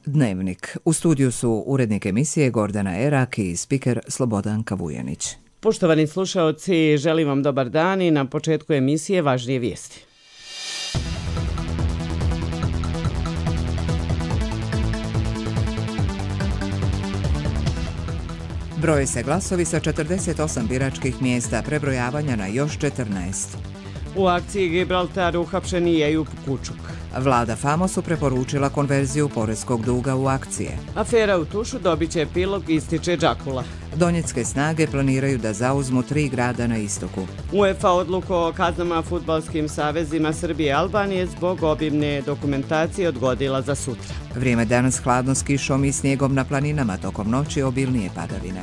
Dnevnik. U studiju su urednik emisije Gordana Erak i spiker Slobodanka Vujanić. Poštovani slušaoci, želim vam dobar dan i na početku emisije važnije vijesti. Broje se glasovi sa 48 biračkih mjesta prebrojavanja na još 14. U akciji Gibraltar uhapšen je Ejub Kučuk. Vlada Famosu preporučila konverziju poreskog duga u akcije. Afera u Tušu dobit će epilog, ističe Đakula. Donjecké snage planiraju da zauzmu 3 grada na istoku. UEFA odluku o kaznama fudbalskim savezima Srbije i Albanije zbog obimne dokumentacije odgodila za sutra. Vrijeme danas hladno s kišom i snijegom na planinama, tokom noći obilnije padavine.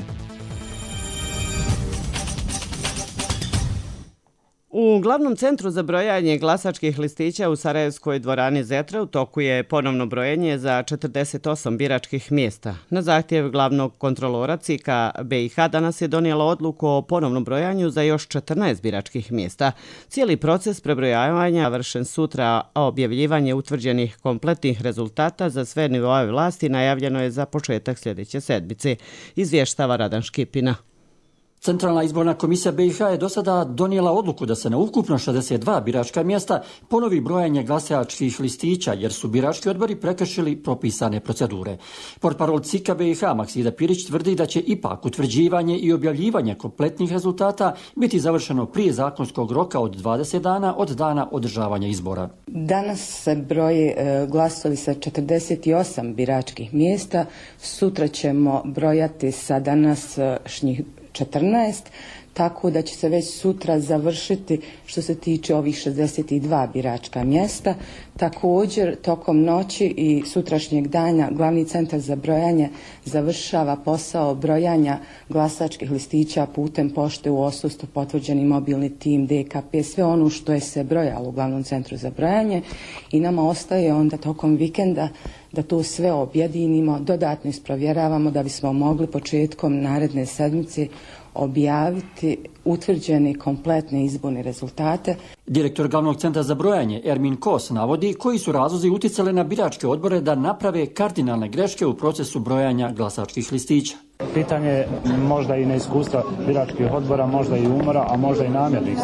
U glavnom centru za brojanje glasačkih listića u Sarajevskoj dvorani Zetra u toku je ponovno brojenje za 48 biračkih mjesta. Na zahtjev glavnog kontrolora CIK-a BiH danas je donijela odluku o ponovnom brojanju za još 14 biračkih mjesta. Cijeli proces prebrojavanja vršen sutra, a objavljivanje utvrđenih kompletnih rezultata za sve nivoe vlasti najavljeno je za početak sljedeće sedmice, izvještava Radan Škipina. Centralna izborna komisija BiH je do sada donijela odluku da se na ukupno 62 biračka mjesta ponovi brojanje glasačkih listića jer su birački odbori prekršili propisane procedure. Portparol CIK-a BiH Maksida Pirić tvrdi da će ipak utvrđivanje i objavljivanje kompletnih rezultata biti završeno prije zakonskog roka od 20 dana od dana održavanja izbora. Danas se broji glasovi sa 48 biračkih mjesta, sutra ćemo brojati sa današnjih 14, tako da će se već sutra završiti što se tiče ovih 62 biračka mjesta. Također, tokom noći i sutrašnjeg dana glavni centar za brojanje završava posao brojanja glasačkih listića putem pošte u odsustvu, potvrđeni mobilni tim, DKP, sve ono što je se brojalo u glavnom centru za brojanje i nama ostaje onda tokom vikenda da to sve objedinimo, dodatno isprovjeravamo da bismo mogli početkom naredne sedmice objaviti utvrđene kompletne izborne rezultate. Direktor glavnog centra za brojanje Ermin Kos navodi koji su razlozi utjecali na biračke odbore da naprave kardinalne greške u procesu brojanja glasačkih listića. Pitanje možda i neiskustva biračkih odbora, možda i umora, a možda i namjernih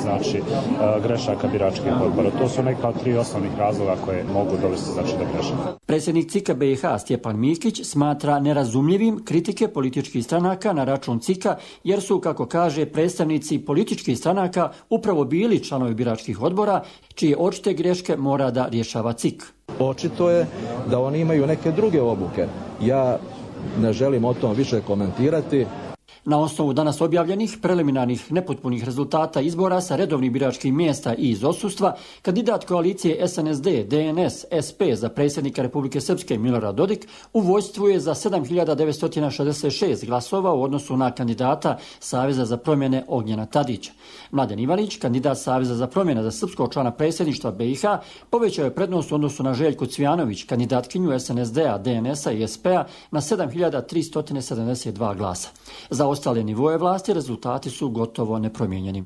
grešaka biračkih odbora. To su neka od 3 osnovnih razloga koje mogu dovesti do grešaka. Predsjednik CIK-a BiH Stjepan Mikić smatra nerazumljivim kritike političkih stranaka na račun CIK-a jer su, kako kaže, predstavnici političkih stranaka upravo bili članovi biračkih odbora čije očite greške mora da rješava CIK. Očito je da oni imaju neke druge obuke. Ja ne želim o tom više komentirati. Na osnovu danas objavljenih preliminarnih nepotpunih rezultata izbora sa redovnih biračkih mjesta i iz odsustva, kandidat koalicije SNSD, DNS, SP za predsjednika Republike Srpske Milorad Dodik u vojstvu je za 7.966 glasova u odnosu na kandidata Saveza za promjene Ognjena Tadića. Mladen Ivanić, kandidat Saveza za promjene za srpskog člana predsjedništva BiH, povećao je prednost u odnosu na Željku Cvijanović, kandidatkinju SNSD-a, DNS-a i SP-a na 7.372 glasa. Za ostale nivoje vlasti rezultati su gotovo nepromijenjeni.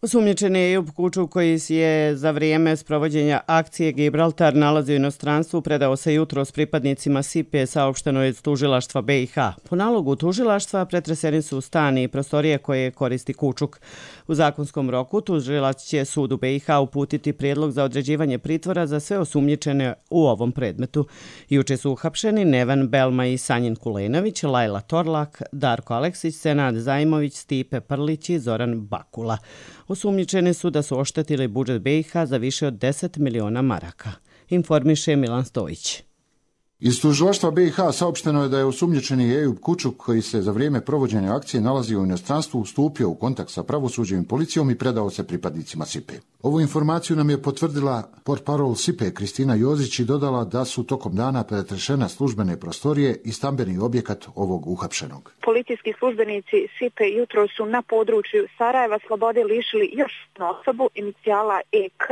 Osumnjičeni Ejub Kučuk, koji je za vrijeme sprovođenja akcije Gibraltar nalazio u inostranstvu, predao se jutro s pripadnicima SIPE, saopšteno je iz tužilaštva BiH. Po nalogu tužilaštva pretreseni su stan i prostorije koje koristi Kučuk. U zakonskom roku tužilac će sudu BiH uputiti prijedlog za određivanje pritvora za sve osumnjičene u ovom predmetu. Juče su uhapšeni Neven Belma i Sanjin Kulenović, Lajla Torlak, Darko Aleksić, Senad Zajmović, Stipe Prlić i Zoran Bakula. Osumnjičeni su da su oštetili budžet BiH za više od 10 miliona maraka, informiše Milan Stojić. Iz tužilaštva BiH saopšteno je da je osumnjičeni Ejub Kučuk, koji se za vrijeme provođenja akcije nalazio u inostranstvu, stupio u kontakt sa pravosuđem i policijom i predao se pripadnicima SIPE. Ovu informaciju nam je potvrdila portparol SIPE Kristina Jozić i dodala da su tokom dana pretrešene službene prostorije i stambeni objekat ovog uhapšenog. Policijski službenici SIPE jutro su na području Sarajeva slobode lišili još jednu osobu, inicijala EK.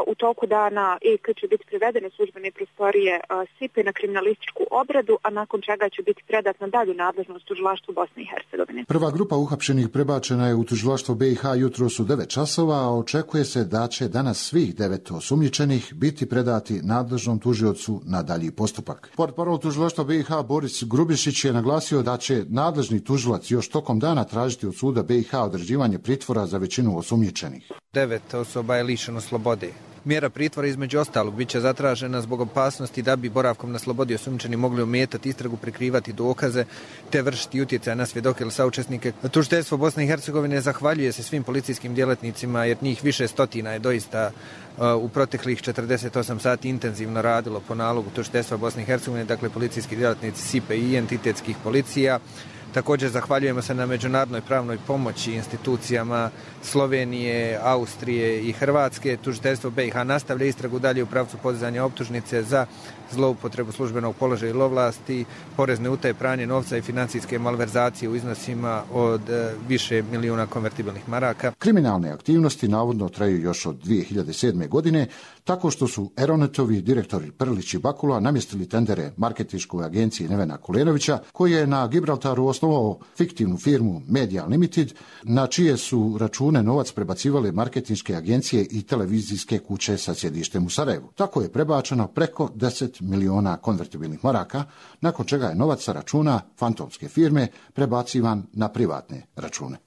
U toku dana EK će biti privedene službene prostorije SIPE na kriminalističku obradu, a nakon čega će biti predat na dalju nadležnost tužilaštvu Bosne i Hercegovine. Prva grupa uhapšenih prebačena je u tužilaštvo BiH jutros u 9 časova, a očekuje se da će danas svih 9 osumnjičenih biti predati nadležnom tužiocu na dalji postupak. Portparol tužilaštva BiH Boris Grubišić je naglasio da će nadležni tužilac još tokom dana tražiti od suda BiH određivanje pritvora za većinu osumnjičenih. 9 osoba je lišeno slobode. Mjera pritvora između ostalog bit će zatražena zbog opasnosti da bi boravkom na slobodi osumnjičeni mogli ometati istragu, prikrivati dokaze te vršiti utjecaj na svjedoke ili saučesnike. Tužiteljstvo Bosne i Hercegovine zahvaljuje se svim policijskim djelatnicima jer njih više stotina je doista u proteklih 48 sati intenzivno radilo po nalogu tužiteljstva Bosne i Hercegovine, dakle policijski djelatnici SIPE i entitetskih policija. Također zahvaljujemo se na međunarodnoj pravnoj pomoći institucijama Slovenije, Austrije i Hrvatske. Tužiteljstvo BiH nastavlja istragu dalje u pravcu podizanja optužnice za zloupotrebu službenog položaja ili ovlasti, porezne utaje, pranje novca i financijske malverzacije u iznosima od više milijuna konvertibilnih maraka. Kriminalne aktivnosti navodno traju još od 2007. godine, tako što su Eronetovi direktori Prlić i Bakula namjestili tendere marketinškoj agenciji Nevena Kulenovića, koji je na Gibraltaru osnovao fiktivnu firmu Media Limited, na čije su račune novac prebacivale marketinške agencije i televizijske kuće sa sjedištem u Sarajevu. Tako je prebačeno preko 10 milijuna konvertibilnih maraka, nakon čega je novac sa računa fantomske firme prebacivan na privatne račune.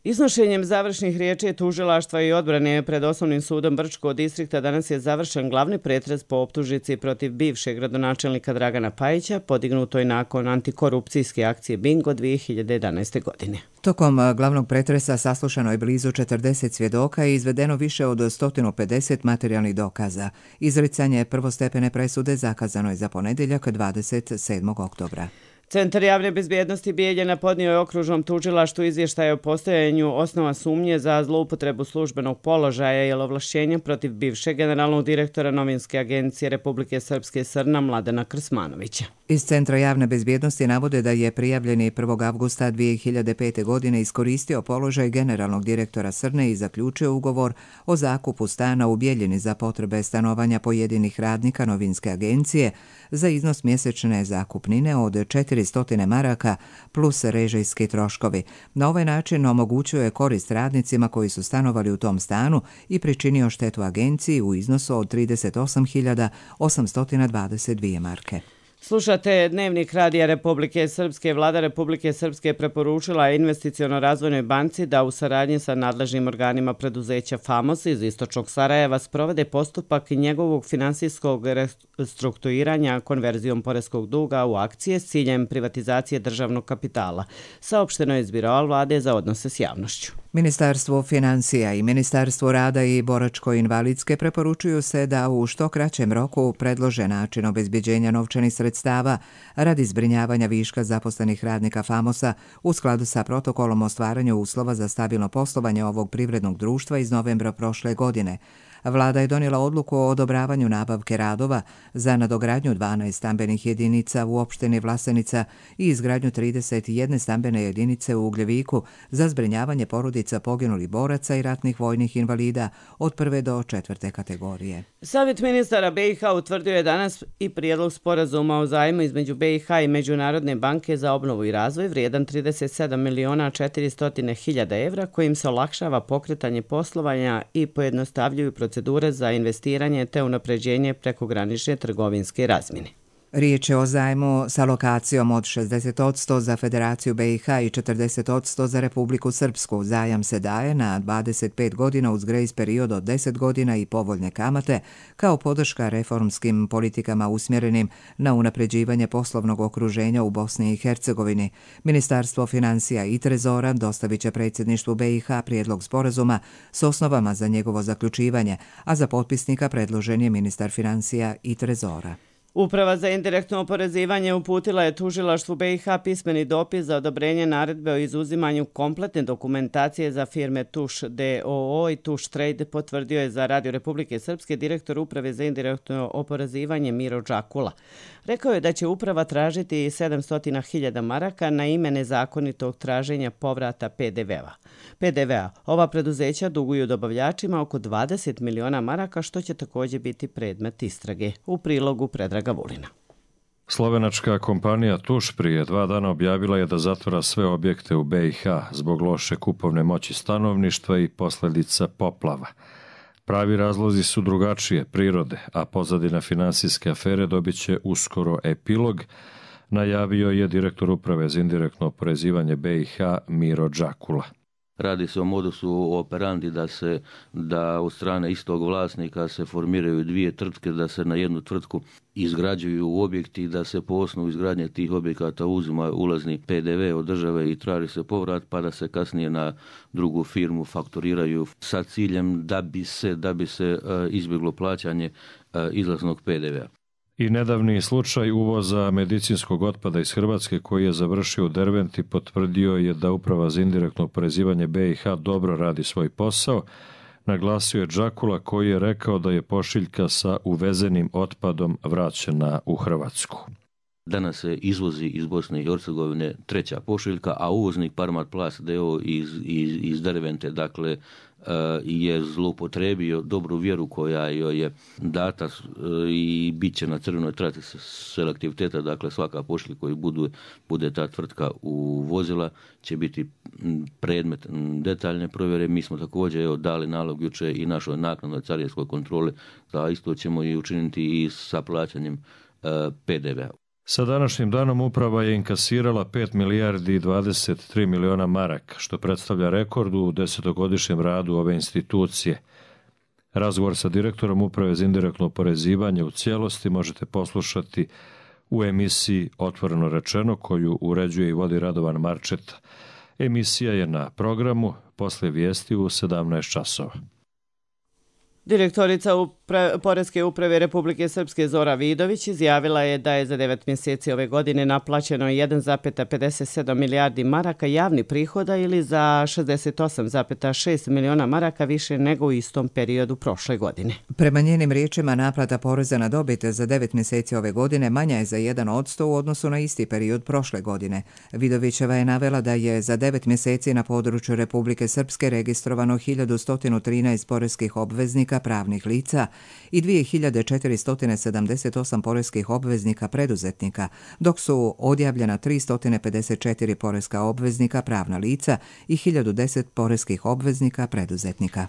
Iznošenjem završnih riječi tužilaštva i odbrane pred Osnovnim sudom Brčkog distrikta danas je završen glavni pretres po optužnici protiv bivšeg gradonačelnika Dragana Pajića, podignutoj nakon antikorupcijske akcije Bingo 2011. godine. Tokom glavnog pretresa saslušano je blizu 40 svjedoka i izvedeno više od 150 materijalnih dokaza. Izricanje prvostepene presude zakazano je za ponedjeljak 27. oktobra. Centar javne bezbjednosti Bijeljina podnio je okružnom tužilaštvu izvještaj o postojanju osnova sumnje za zloupotrebu službenog položaja ili ovlašćenja protiv bivšeg generalnog direktora novinske agencije Republike Srpske SRNA Mladena Krsmanovića. Iz Centra javne bezbjednosti navode da je prijavljeni 1. avgusta 2005. godine iskoristio položaj generalnog direktora SRNE i zaključio ugovor o zakupu stana u Bijeljini za potrebe stanovanja pojedinih radnika novinske agencije za iznos mjesečne zakupnine od 400 maraka plus režijski troškovi. Na ovaj način omogućuje korist radnicima koji su stanovali u tom stanu i pričinio štetu agenciji u iznosu od 38.822 marke. Slušate Dnevnik Radija Republike Srpske. Vlada Republike Srpske preporučila Investiciono-razvojnoj banci da u saradnji sa nadležnim organima preduzeća FAMOS iz istočnog Sarajeva sprovede postupak njegovog finansijskog restrukturiranja konverzijom poreskog duga u akcije s ciljem privatizacije državnog kapitala. Saopšteno je iz Biroa vlade za odnose s javnošću. Ministarstvo financija i Ministarstvo rada i boračko-invalidske preporučuju se da u što kraćem roku predlože način obezbjeđenja novčanih sredstava radi zbrinjavanja viška zaposlenih radnika FAMOS-a u skladu sa protokolom o stvaranju uslova za stabilno poslovanje ovog privrednog društva iz novembra prošle godine. Vlada je donijela odluku o odobravanju nabavke radova za nadogradnju 12 stambenih jedinica u opštini Vlasenica i izgradnju 31 stambene jedinice u Ugljeviku za zbrinjavanje porodica poginulih boraca i ratnih vojnih invalida od 1. do 4. kategorije. Savjet ministara BiH utvrdio je danas i prijedlog sporazuma o zajmu između BiH i Međunarodne banke za obnovu i razvoj vrijedan 37.400.000 evra kojim se olakšava pokretanje poslovanja i pojednostavljuju procedure za investiranje te unapređenje prekogranične trgovinske razmjene. Riječ je o zajmu sa lokacijom od 60% za Federaciju BiH i 40% za Republiku Srpsku. Zajam se daje na 25 godina uz grace period od 10 godina i povoljne kamate kao podrška reformskim politikama usmjerenim na unapređivanje poslovnog okruženja u Bosni i Hercegovini. Ministarstvo financija i trezora dostavit će predsjedništvu BiH prijedlog sporazuma s osnovama za njegovo zaključivanje, a za potpisnika predložen je ministar financija i trezora. Uprava za indirektno oporezivanje uputila je tužilaštvu BiH pismeni dopis za odobrenje naredbe o izuzimanju kompletne dokumentacije za firme Tuš DOO i Tuš Trade, potvrdio je za Radio Republike Srpske direktor Uprave za indirektno oporezivanje Miro Đakula. Rekao je da će uprava tražiti 700.000 maraka na ime nezakonitog traženja povrata PDV-a. Ova preduzeća duguju dobavljačima oko 20 miliona maraka, što će također biti predmet istrage. U prilogu Predrag Predraga Vulina. Slovenačka kompanija Tuš prije 2 dana objavila je da zatvara sve objekte u BiH zbog loše kupovne moći stanovništva i posljedica poplava. Pravi razlozi su drugačije prirode, a pozadina finansijske afere dobit će uskoro epilog, najavio je direktor uprave za indirektno oporezivanje BiH Miro Đakula. Radi se o modusu operandi da od strane istog vlasnika se formiraju 2 tvrtke, da se na jednu tvrtku izgrađuju objekti, da se po osnovu izgradnje tih objekata uzima ulazni PDV od države i traži se povrat, pa da se kasnije na drugu firmu fakturiraju sa ciljem da bi se izbjeglo plaćanje izlaznog PDV-a. I nedavni slučaj uvoza medicinskog otpada iz Hrvatske koji je završio u Derventi potvrdio je da Uprava za indirektno oporezivanje BiH dobro radi svoj posao, naglasio je Đakula koji je rekao da je pošiljka sa uvezenim otpadom vraćena u Hrvatsku. Danas se izvozi iz Bosne i Hercegovine 3. pošiljka, a uvoznik Parmat Plast d.o. iz Dervente, dakle, je zloupotrebio dobru vjeru koja joj je data i bit će na crvenoj traci selektiviteta, dakle svaka pošiljka koju bude ta tvrtka uvozila će biti predmet detaljne provjere. Mi smo također dali nalog jučer i našoj naknadnoj carinskoj kontroli, da isto ćemo i učiniti i sa plaćanjem PDV-a. Sa današnjim danom uprava je inkasirala 5 milijardi i 23 miliona maraka, što predstavlja rekord u 10-godišnjem radu ove institucije. Razgovor sa direktorom uprave za indirektno oporezivanje u cijelosti možete poslušati u emisiji Otvoreno rečeno, koju uređuje i vodi Radovan Marčeta. Emisija je na programu poslije vijesti u 17 časova. Direktorica Poreske uprave Republike Srpske Zora Vidović izjavila je da je za 9 mjeseci ove godine naplaćeno 1,57 milijardi maraka javnih prihoda ili za 68,6 miliona maraka više nego u istom periodu prošle godine. Prema njenim riječima, naplata poreza na dobit za 9 mjeseci ove godine manja je za 1% u odnosu na isti period prošle godine. Vidovićeva je navela da je za 9 mjeseci na području Republike Srpske registrovano 1113 poreskih obveznika pravnih lica i 2478 poreskih obveznika preduzetnika, dok su odjavljena 354 poreska obveznika pravna lica i 1010 poreskih obveznika preduzetnika.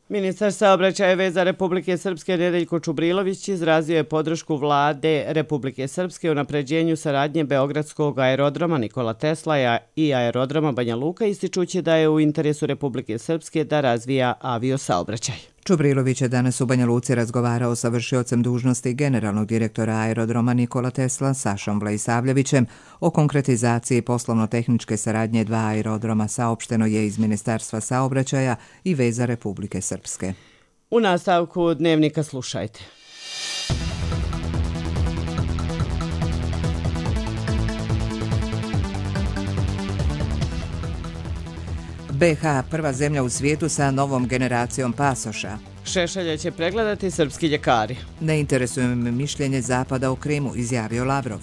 Ministar saobraćaja i veza Republike Srpske Nedeljko Čubrilović izrazio je podršku vlade Republike Srpske u unapređenju saradnje Beogradskog aerodroma Nikola Tesla i aerodroma Banja Luka, ističući da je u interesu Republike Srpske da razvija aviosaobraćaj. Čubrilović je danas u Banja Luci razgovarao sa vršiocem dužnosti generalnog direktora aerodroma Nikola Tesla Sašom Vlajsavljevićem o konkretizaciji poslovno-tehničke saradnje 2 aerodroma, saopšteno je iz Ministarstva saobraćaja i veza Republike Srpske. U nastavku dnevnika slušajte. BiH prva zemlja u svijetu sa novom generacijom pasoša. Šešelja će pregledati srpski ljekari. Ne interesuje me mišljenje Zapada o Krimu, izjavio Lavrov.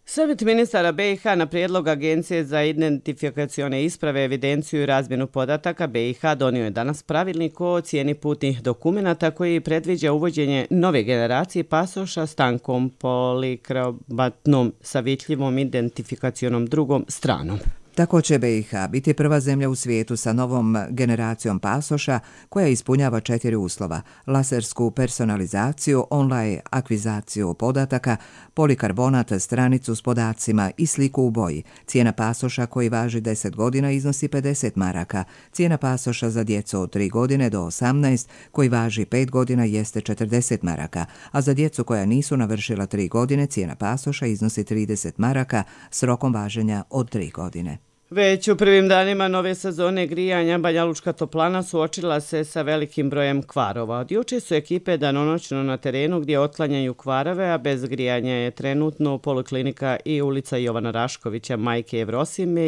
Savjet ministara BiH na prijedlog Agencije za identifikacione isprave, evidenciju i razmjenu podataka BiH donio je danas pravilnik o cijeni putnih dokumenata koji predviđa uvođenje nove generacije pasoša s tankom polikromatnom sa vidljivom identifikacionom drugom stranom. Tako će BiH biti prva zemlja u svijetu sa novom generacijom pasoša koja ispunjava 4 uslova: lasersku personalizaciju, online akvizaciju podataka, polikarbonat stranicu s podacima i sliku u boji. Cijena pasoša koji važi 10 godina iznosi 50 maraka. Cijena pasoša za djecu od 3 godine do 18 koji važi 5 godina jeste 40 maraka, a za djecu koja nisu navršila 3 godine cijena pasoša iznosi 30 maraka s rokom važenja od 3 godine. Već u prvim danima nove sezone grijanja Banjalučka toplana suočila se sa velikim brojem kvarova. Od juče su ekipe danonoćno na terenu gdje otklanjaju kvarove, a bez grijanja je trenutno Poliklinika i ulica Jovana Raškovića, Majke Evrosime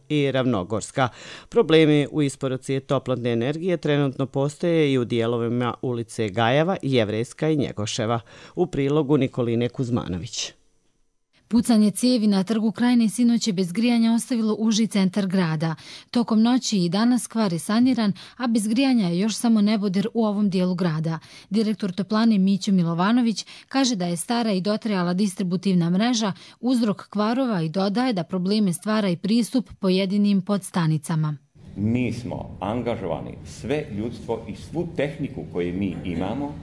i Ravnogorska. Problemi u isporuci toplotne energije trenutno postoje i u dijelovima ulice Gajeva, Jevrejska i Njegoševa. U prilogu Nikoline Kuzmanović. Pucanje cijevi na Trgu Krajine sinoć je bez grijanja ostavilo uži centar grada. Tokom noći i danas kvar je saniran, a bez grijanja je još samo neboder u ovom dijelu grada. Direktor toplane Mićo Milovanović kaže da je stara i dotrajala distributivna mreža uzrok kvarova i dodaje da probleme stvara i pristup pojedinim podstanicama. Mi smo angažovani sve ljudstvo i svu tehniku koju mi imamo,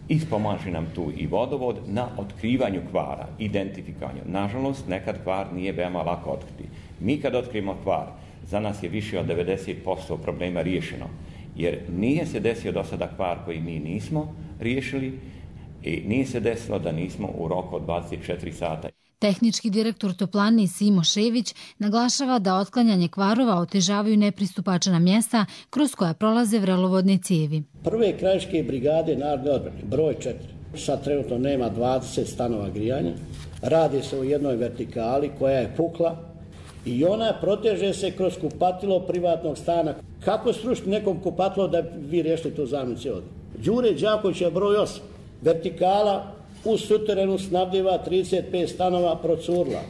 ispomaže nam tu i vodovod na otkrivanju kvara, identifikanju. Nažalost, nekad kvar nije veoma lako otkriti. Mi kad otkrijemo kvar, za nas je više od 90% problema riješeno, jer nije se desio do sada kvar koji mi nismo riješili i nije se desilo da nismo u roku od 24 sata. Tehnički direktor toplane Simo Šević naglašava da otklanjanje kvarova otežavaju nepristupačna mjesta kroz koja prolaze vrelovodne cijevi. Prve krajiške brigade narodne odbrane, broj 4, sad trenutno nema 20 stanova grijanja, radi se o jednoj vertikali koja je pukla i ona proteže se kroz kupatilo privatnog stana. Kako srušiti nekom kupatilo da vi riješite tu zamjenu cijevoda? Đure Đakovića broj 8, vertikala u suterenu snabdjeva 35 stanova procurla.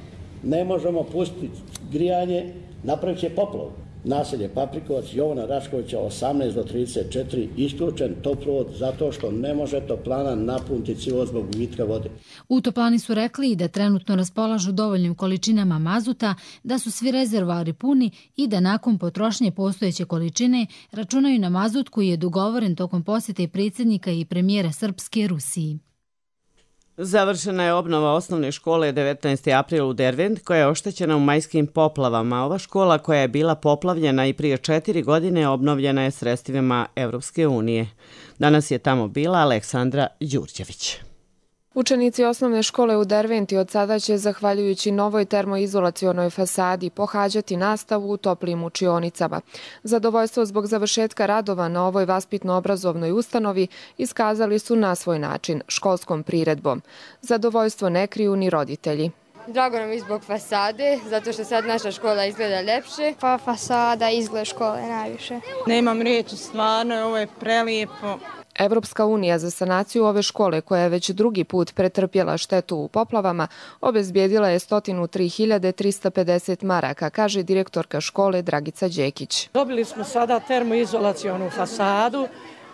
Ne možemo pustiti grijanje, napravit će poplavu. Naselje Paprikovac, Jovana Raškovića 18 do 34, isključen toplovod zato što ne može toplana napuniti cjevovod zbog gubitka vode. U toplani su rekli da trenutno raspolažu dovoljnim količinama mazuta, da su svi rezervoari puni i da nakon potrošnje postojeće količine računaju na mazut koji je dogovoren tokom posjete predsjednika i premijera Srpske Rusiji. Završena je obnova osnovne škole 19. april u Dervent, koja je oštećena u majskim poplavama. Ova škola, koja je bila poplavljena i prije 4 godine, obnovljena je sredstvima Evropske unije. Danas je tamo bila Aleksandra Đurđević. Učenici osnovne škole u Derventi od sada će, zahvaljujući novoj termoizolacionoj fasadi, pohađati nastavu u toplim učionicama. Zadovoljstvo zbog završetka radova na ovoj vaspitno-obrazovnoj ustanovi iskazali su na svoj način, školskom priredbom. Zadovoljstvo ne kriju ni roditelji. Drago nam je zbog fasade, zato što sad naša škola izgleda ljepše. Pa fasada, izgled škole najviše. Nemam riječi, stvarno, ovo je prelijepo. Evropska unija za sanaciju ove škole, koja je već drugi put pretrpjela štetu u poplavama, obezbijedila je 103.350 maraka, kaže direktorka škole Dragica Đekić. Dobili smo sada termoizolacionu fasadu,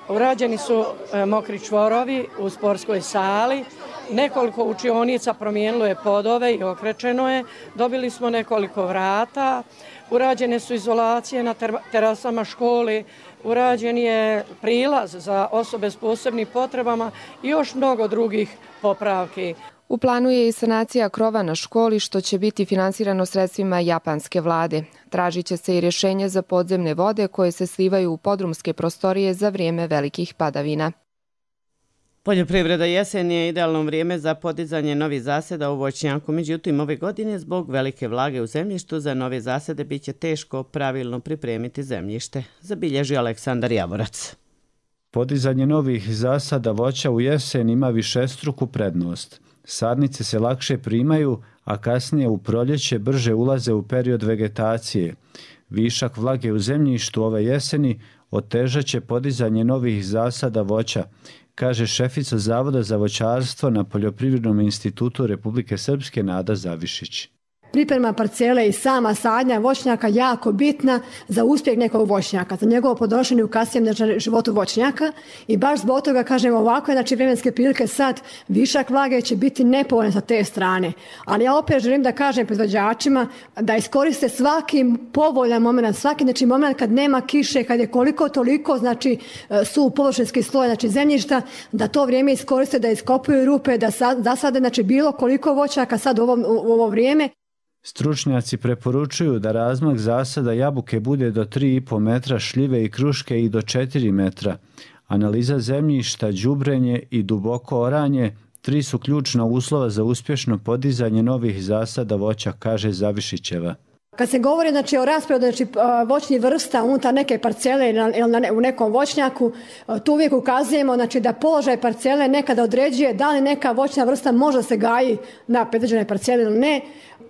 urađeni su mokri čvorovi u sportskoj sali, nekoliko učionica promijenilo je podove i okrečeno je, dobili smo nekoliko vrata, urađene su izolacije na terasama škole, urađen je prilaz za osobe s posebnim potrebama i još mnogo drugih popravki. U planu je i sanacija krova na školi, što će biti finansirano sredstvima japanske vlade. Tražit će se i rješenje za podzemne vode koje se slivaju u podrumske prostorije za vrijeme velikih padavina. Poljoprivreda jesen je idealno vrijeme za podizanje novih zaseda u voćnjaku, međutim ove godine zbog velike vlage u zemljištu za nove zasede bit će teško pravilno pripremiti zemljište, zabilježi Aleksandar Javorac. Podizanje novih zasada voća u jesen ima višestruku prednost. Sadnice se lakše primaju, a kasnije u proljeće brže ulaze u period vegetacije. Višak vlage u zemljištu ove jeseni otežat će podizanje novih zasada voća, kaže šefica Zavoda za voćarstvo na Poljoprivrednom institutu Republike Srpske Nada Zavišić. Priprema parcele i sama sadnja voćnjaka jako bitna za uspjeh nekog voćnjaka, za njegovo podnošenje u kasnijem životu voćnjaka i baš zbog toga kažem ovako, znači vremenske prilike sad višak vlage će biti nepovoljan sa te strane. Ali ja opet želim da kažem proizvođačima da iskoriste svaki povoljan moment, svaki znači moment kad nema kiše, kad je koliko toliko znači su površinski sloj znači zemljišta, da to vrijeme iskoriste, da iskopuju rupe, da zasade znači bilo koliko voćaka sad u ovo vrijeme. Stručnjaci preporučuju da razmak zasada jabuke bude do 3,5 metra, šljive i kruške i do 4 metra. Analiza zemljišta, đubrenje i duboko oranje 3 su ključna uslova za uspješno podizanje novih zasada voća, kaže Zavišićeva. Kad se govori znači, o rasporedu znači, voćnih vrsta unutar neke parcele ili u nekom voćnjaku, tu uvijek ukazujemo znači, da položaj parcele nekada određuje da li neka voćna vrsta može se gaji na predviđenoj parceli ili ne.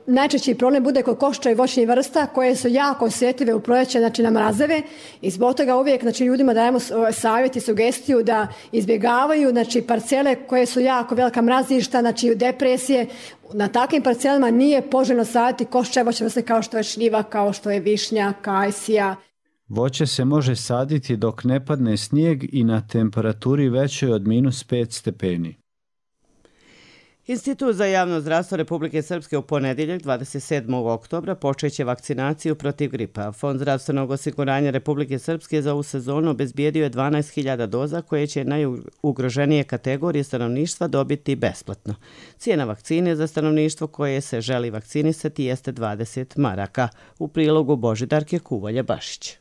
najčešći problem bude kod košća i voćnih vrsta koje su jako osjetljive u proljeće, znači na mrazeve, i zbog toga uvijek znači, ljudima dajemo savjet i sugestiju da izbjegavaju znači, parcele koje su jako velika mrazišta, znači depresije. Na takvim parcelama nije poželjno saditi košća i voćne vrste kao što je šljiva, kao što je višnja, kajsija. Voće se može saditi dok ne padne snijeg i na temperaturi većoj od -5 stepeni. Institut za javno zdravstvo Republike Srpske u ponedjeljak 27. oktobra počeće vakcinaciju protiv gripa. Fond zdravstvenog osiguranja Republike Srpske za ovu sezonu obezbijedio je 12.000 doza koje će najugroženije kategorije stanovništva dobiti besplatno. Cijena vakcine za stanovništvo koje se želi vakcinisati jeste 20 maraka. U prilogu Božidarke Kuvalja-Bašić.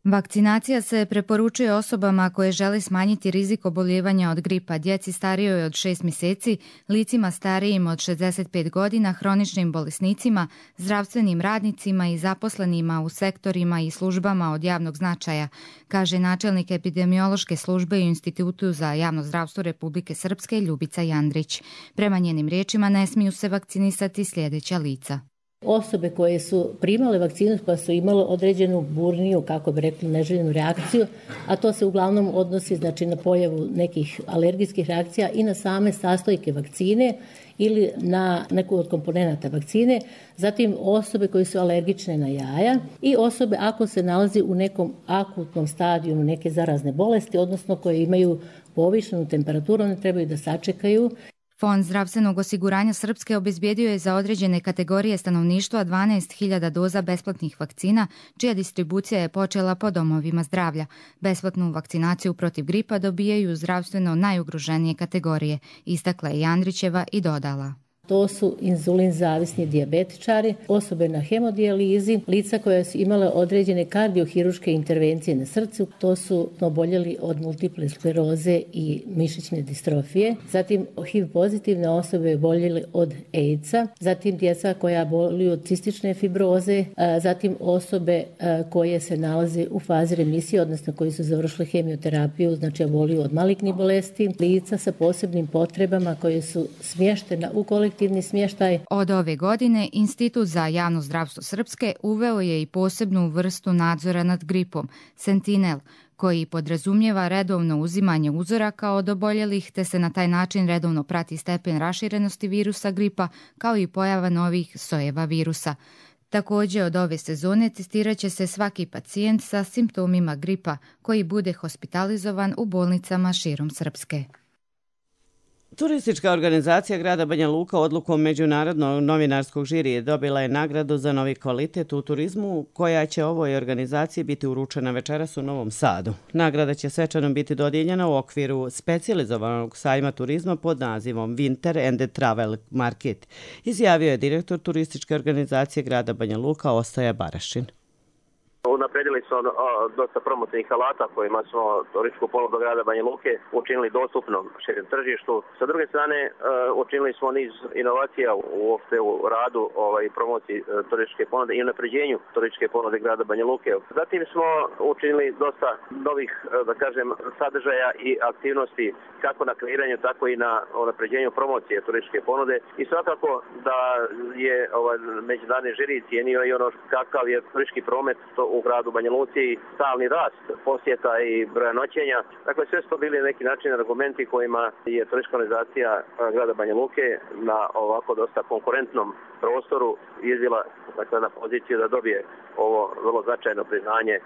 Vakcinacija se preporučuje osobama koje žele smanjiti rizik oboljevanja od gripa, djeci starijoj od 6 mjeseci, licima starijim od 65 godina, hroničnim bolesnicima, zdravstvenim radnicima i zaposlenima u sektorima i službama od javnog značaja, kaže načelnik epidemiološke službe u Institutu za javno zdravstvo Republike Srpske Ljubica Jandrić. Prema njenim riječima ne smiju se vakcinisati sljedeća lica. Osobe koje su primale vakcinu pa su imale određenu burniju, kako bi rekli, neželjenu reakciju, a to se uglavnom odnosi znači, na pojavu nekih alergijskih reakcija i na same sastojke vakcine ili na neku od komponenata vakcine, zatim osobe koje su alergične na jaja i osobe ako se nalazi u nekom akutnom stadiju neke zarazne bolesti, odnosno koje imaju povišenu temperaturu, one trebaju da sačekaju. Fond zdravstvenog osiguranja Srpske obezbijedio je za određene kategorije stanovništva 12.000 doza besplatnih vakcina, čija distribucija je počela po domovima zdravlja. Besplatnu vakcinaciju protiv gripa dobijaju zdravstveno najugroženije kategorije, istakla je Jandrićeva i dodala. To su inzulin zavisni dijabetičari, osobe na hemodijalizi, lica koja su imale određene kardiohiruške intervencije na srcu, to su oboljeli od multiple skleroze i mišićne distrofije, zatim HIV pozitivne osobe oboljeli od AIDS-a, zatim djeca koja boluju od cistične fibroze, zatim osobe koje se nalaze u fazi remisije, odnosno koji su završili hemioterapiju, znači oboljuju od malignih bolesti, lica sa posebnim potrebama koje su smještena u kolektivni smještaj. Od ove godine Institut za javno zdravstvo Srpske uveo je i posebnu vrstu nadzora nad gripom, Sentinel, koji podrazumijeva redovno uzimanje uzoraka od oboljelih te se na taj način redovno prati stepen raširenosti virusa gripa kao i pojava novih sojeva virusa. Također od ove sezone testirat će se svaki pacijent sa simptomima gripa koji bude hospitalizovan u bolnicama širom Srpske. Turistička organizacija grada Banja Luka odlukom Međunarodnog novinarskog žirije dobila je nagradu za novi kvalitet u turizmu, koja će ovoj organizaciji biti uručena večeras u Novom Sadu. Nagrada će svečano biti dodijeljena u okviru specijalizovanog sajma turizma pod nazivom Winter and Travel Market, izjavio je direktor turističke organizacije grada Banja Luka Ostoja Barašin. Unaprijedili smo dosta promocnih alata kojima smo turističku ponudu grada Banja Luke učinili dostupnom širem tržištu. Sa druge strane, učinili smo niz inovacija uopšte u radu i promociji turističke ponude i unapređenju turističke ponude grada Banja Luke. Zatim smo učinili dosta novih, da kažem, sadržaja i aktivnosti kako na kreiranju, tako i na unapređenju promocije turističke ponude. I svakako da je međunarodni žiri cijenio i ono kakav je turistički promet u gradu Banja Luci, stalni rast posjeta i broja noćenja. Dakle, sve su to bili neki način argumenti kojima je turistička organizacija grada Banja Luke na ovako dosta konkurentnom prostoru izvila na poziciju da dobije ovo vrlo značajno priznanje.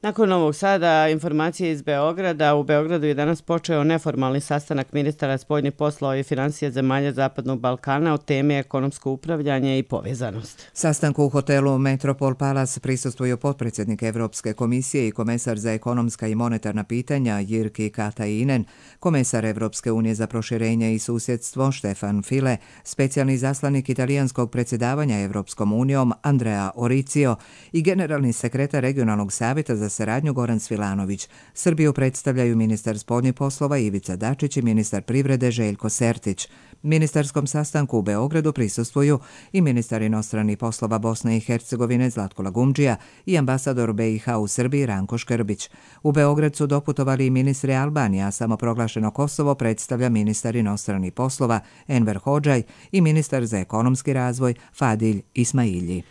Nakon Novog Sada, informacije iz Beograda. U Beogradu je danas počeo neformalni sastanak ministara spoljnih poslova i financija zemalja Zapadnog Balkana o temi ekonomsko upravljanje i povezanost. Sastanku u hotelu Metropol Palace prisustvuju potpredsjednik Evropske komisije i komesar za ekonomska i monetarna pitanja Jirki Katainen, komesar Evropske unije za proširenje i susjedstvo Štefan File, specijalni zaslanik italijanskog predsjedavanja Evropskom unijom Andrea Oricio i generalni sekretar regionalnog savjeta za saradnju Goran Svilanović. Srbiju predstavljaju ministar spoljnih poslova Ivica Dačić i ministar privrede Željko Sertić. Ministarskom sastanku u Beogradu prisustvuju i ministar inostranih poslova Bosne i Hercegovine Zlatko Lagumdžija i ambasador BiH u Srbiji Ranko Škrbić. U Beograd su doputovali i ministri Albanije, a samoproglašeno Kosovo predstavlja ministar inostranih poslova Enver Hodžaj i ministar za ekonomski razvoj Fadilj Ismailji.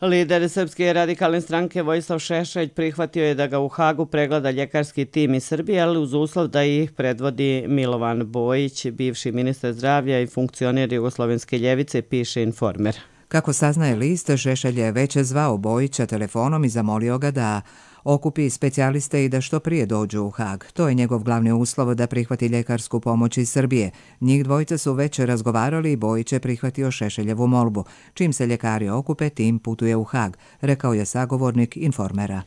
Lider Srpske radikalne stranke Vojislav Šešelj prihvatio je da ga u Hagu pregleda ljekarski tim iz Srbije, ali uz uslov da ih predvodi Milovan Bojić, bivši ministar zdravlja i funkcioner Jugoslovenske ljevice, piše Informer. Kako saznaje list, Šešelj je već zvao Bojića telefonom i zamolio ga da okupi specijaliste i da što prije dođu u Hag. To je njegov glavni uslov da prihvati ljekarsku pomoć iz Srbije. Njih dvojica su već razgovarali i Bojić je prihvatio Šešeljevu molbu. Čim se ljekari okupe, tim putuje u Hag, rekao je sagovornik Informera.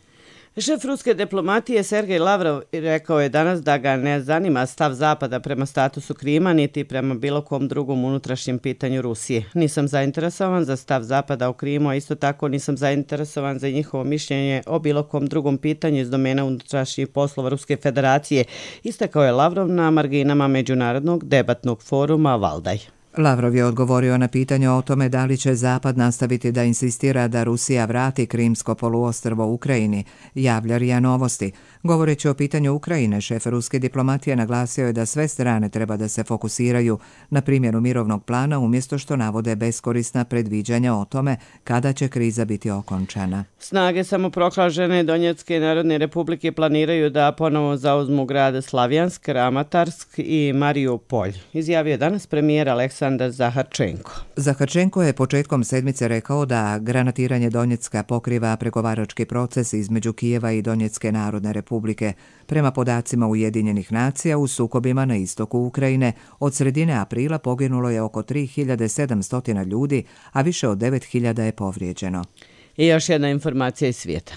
Šef ruske diplomatije Sergej Lavrov rekao je danas da ga ne zanima stav Zapada prema statusu Krima niti prema bilo kom drugom unutrašnjem pitanju Rusije. Nisam zainteresovan za stav Zapada o Krimu, a isto tako nisam zainteresovan za njihovo mišljenje o bilo kom drugom pitanju iz domena unutrašnjih poslova Ruske federacije, istakao je Lavrov na marginama međunarodnog debatnog foruma Valdaj. Lavrov je odgovorio na pitanje o tome da li će Zapad nastaviti da insistira da Rusija vrati Krimsko poluostrvo Ukrajini, javlja RIA Novosti. Govoreći o pitanju Ukrajine, šef ruske diplomatije naglasio je da sve strane treba da se fokusiraju na primjenu mirovnog plana umjesto što navode beskorisna predviđanja o tome kada će kriza biti okončana. Snage samoproklažene Donjecke narodne republike planiraju da ponovo zauzmu grad Slavjansk, Kramatorsk i Mariupolj, izjavio je danas premijer Aleksandar Zaharčenko. Zaharčenko je početkom sedmice rekao da granatiranje Donjecka pokriva pregovarački proces između Kijeva i Donjecke narodne republike. Prema podacima Ujedinjenih nacija, u sukobima na istoku Ukrajine od sredine aprila poginulo je oko 3700 ljudi, a više od 9000 je povrijeđeno. I još jedna informacija iz svijeta.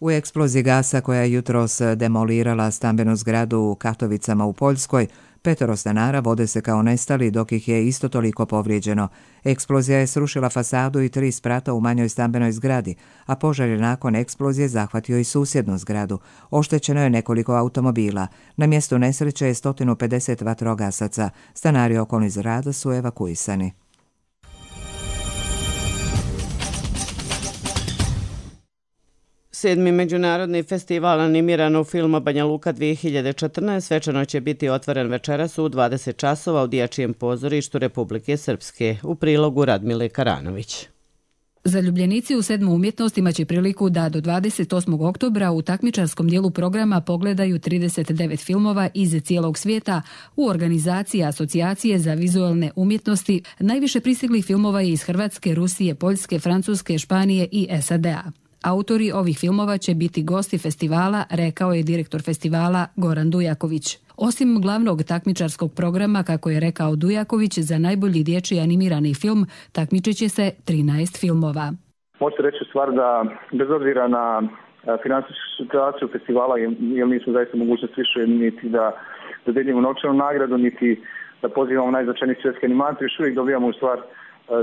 U eksploziji gasa koja je jutros demolirala stambenu zgradu u Katovicama u Poljskoj, 5 stanara vode se kao nestali, dok ih je isto toliko povrijeđeno. Eksplozija je srušila fasadu i 3 sprata u manjoj stambenoj zgradi, a požar je nakon eksplozije zahvatio i susjednu zgradu. Oštećeno je nekoliko automobila. Na mjestu nesreće je 150 vatrogasaca. Stanari okolnih zgrada su evakuisani. Sedmi međunarodni festival animiranog filma Banja Luka 2014 svečano će biti otvoren večeras u 20 časova u Dječjem pozorištu Republike Srpske. U prilogu Radmile Karanović. Zaljubljenici u 7. umjetnost imaće priliku da do 28. oktobra u takmičarskom dijelu programa pogledaju 39 filmova iz cijelog svijeta u organizaciji Asocijacije za vizualne umjetnosti. Najviše pristiglih filmova je iz Hrvatske, Rusije, Poljske, Francuske, Španije i SAD-a. Autori ovih filmova će biti gosti festivala, rekao je direktor festivala Goran Dujaković. Osim glavnog takmičarskog programa, kako je rekao Dujaković, za najbolji dječji animirani film takmičit će se 13 filmova. Možete reći stvar da bez obzira na finansijsku situaciju festivala, jer nismo zaista mogućnost više niti da dodijelimo novčanu nagradu, niti da pozivamo najznačajniji svjetski animator, još uvijek dobijamo u stvar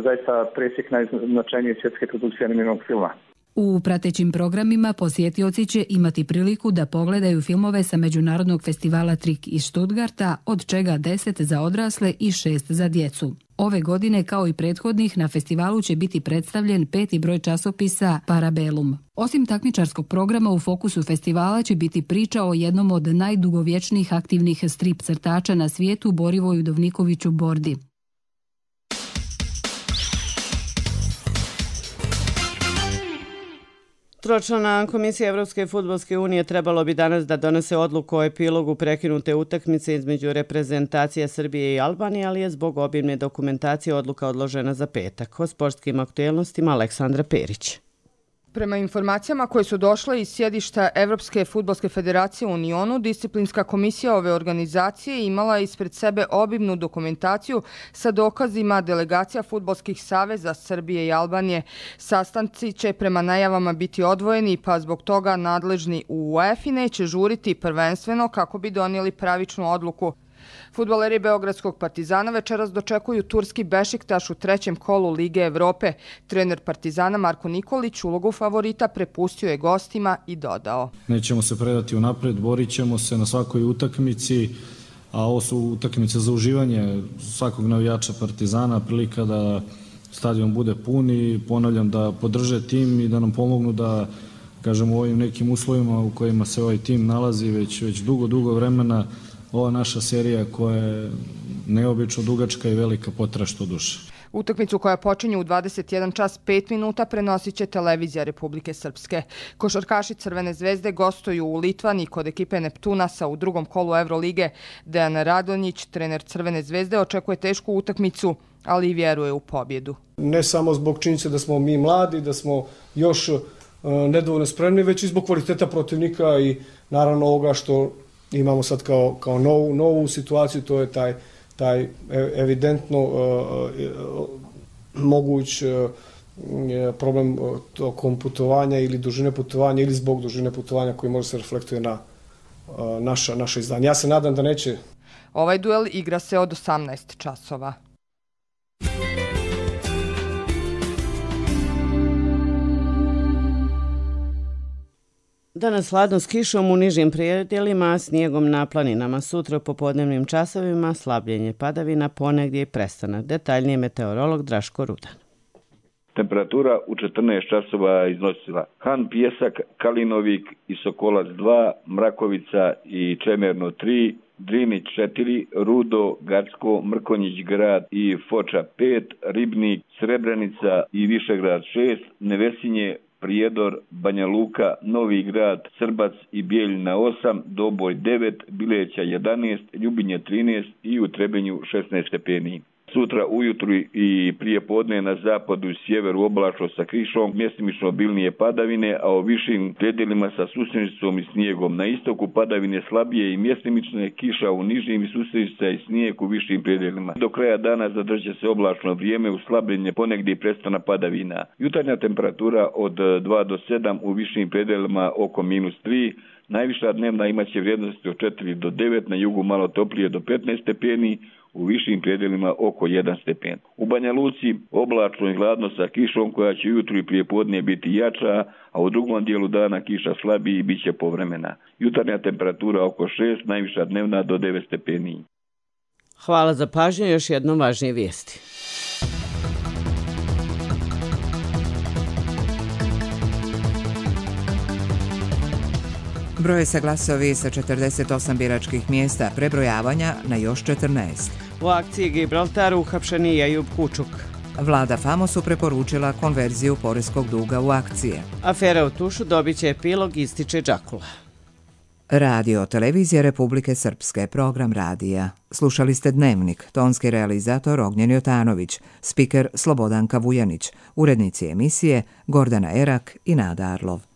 zaista presjek najznačajnije svjetske produkcije animiranog filma. U pratećim programima posjetioci će imati priliku da pogledaju filmove sa Međunarodnog festivala Trik iz Stuttgarta, od čega 10 za odrasle i 6 za djecu. Ove godine, kao i prethodnih, na festivalu će biti predstavljen 5. broj časopisa Parabellum. Osim takmičarskog programa, u fokusu festivala će biti priča o jednom od najdugovječnijih aktivnih strip crtača na svijetu, Borivoju Dovnikoviću Bordi. Tročlana komisija Evropske fudbalske unije trebalo bi danas da donese odluku o epilogu prekinute utakmice između reprezentacija Srbije i Albanije, ali je zbog obimne dokumentacije odluka odložena za petak. O sportskim aktuelnostima Aleksandra Perić. Prema informacijama koje su došle iz sjedišta Evropske fudbalske federacije u Unionu, disciplinska komisija ove organizacije imala je ispred sebe obimnu dokumentaciju sa dokazima delegacija fudbalskih saveza Srbije i Albanije. Sastanci će prema najavama biti odvojeni, pa zbog toga nadležni u UEFA neće žuriti prvenstveno kako bi donijeli pravičnu odluku. Fudbaleri Beogradskog Partizana večeras dočekuju turski Bešiktaš u trećem kolu Lige Evrope. Trener Partizana Marko Nikolić ulogu favorita prepustio je gostima i dodao: Nećemo se predati unapred, borit ćemo se na svakoj utakmici, a ovo su utakmice za uživanje svakog navijača Partizana, prilika da stadion bude pun i ponavljam da podrže tim i da nam pomognu da, kažem, u ovim nekim uslovima u kojima se ovaj tim nalazi već dugo vremena, ova naša serija koja je neobično dugačka i velika potrašta duše. Utakmicu koja počinje u 21 čas 5 minuta prenosit će televizija Republike Srpske. Košarkaši Crvene zvezde gostuju u Litvani kod ekipe Neptunasa u drugom kolu Evrolige. Dejan Radonjić, trener Crvene zvezde, očekuje tešku utakmicu, ali i vjeruje u pobjedu. Ne samo zbog činjenice da smo mi mladi, da smo još nedovoljno spremni, već i zbog kvaliteta protivnika i naravno ovoga što imamo sad kao novu situaciju, to je taj evidentno moguć problem tokom putovanja ili dužine putovanja ili zbog dužine putovanja koji može se reflektuje na naše izdanje. Ja se nadam da neće. Ovaj duel igra se od 18 časova. Danas hladno s kišom u nižim predjelima, a snijegom na planinama. Sutra u popodnevnim časovima slabljenje padavina, ponegdje i prestanak. Detaljnije meteorolog Draško Rudan. Temperatura u 14 časova iznosila Han, Pjesak, Kalinovik i Sokolac 2, Mrakovica i Čemerno 3, Drinić 4, Rudo, Gacko, Mrkonjić grad i Foča 5, Ribnik, Srebrenica i Višegrad 6, Nevesinje, Prijedor, Banja Luka, Novi grad, Srbac i Bijeljina 8, Doboj 9, Bileća 11, Ljubinje 13 i u Trebenju 16 stepeni. Sutra ujutru i prije podne na zapadu i sjeveru oblačno sa krišom, mjestimično obilnije padavine, a u višim predjelima sa susjednicom i snijegom. Na istoku padavine slabije i mjestimične, kiša u nižim i susjednica i snijeg u višim predjelima. Do kraja dana zadržat se oblačno vrijeme, uslabljenje, ponegdje i prestana padavina. Jutarnja temperatura od 2 do 7, u višim predjelima oko -3, najviša dnevna imaće vrijednosti od 4 do 9, na jugu malo toplije do 15 stepeni, u višim predjelima oko 1 stepen. U Banja Luci oblačno i hladno sa kišom koja će jutro i prije podne biti jača, a u drugom dijelu dana kiša slabiji i bit će povremena. Jutarnja temperatura oko 6, najviša dnevna do 9 stepeni. Hvala za pažnju, još jednom važnije vijesti. Broje se glasovi sa 48 biračkih mjesta prebrojavanja na još 14. U akciji Gibraltar uhapšen je Ejub Kučuk. Vlada Famosu preporučila konverziju poreskog duga u akcije. Afera u Tušu dobit će epilog, ističe Đakula. Radio Televizija Republike Srpske, program radija. Slušali ste Dnevnik, tonski realizator Ognjen Jotanović, spiker Slobodanka Vujanić, urednici emisije Gordana Erak i Nada Arlov.